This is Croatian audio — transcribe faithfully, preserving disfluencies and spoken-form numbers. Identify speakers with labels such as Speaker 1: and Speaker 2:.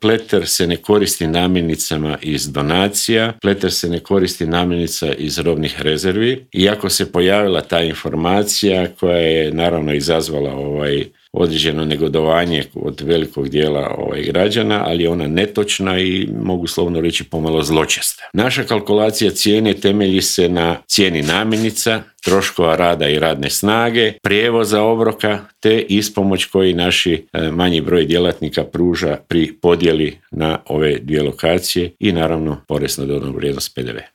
Speaker 1: Pleter se ne koristi namirnicama iz donacija, Pleter se ne koristi namirnica iz robnih rezervi. Iako se pojavila ta informacija koja je naravno izazvala ovaj određeno negodovanje od velikog dijela ovaj, građana, ali je ona netočna i mogu slovno reći pomalo zločesta. Naša kalkulacija cijene temelji se na cijeni namirnica, troškova rada i radne snage, prijevoza obroka te ispomoć koji naši manji broj djelatnika pruža pri podjeli na ove dvije lokacije i naravno porez na dodanu vrijednost P D V.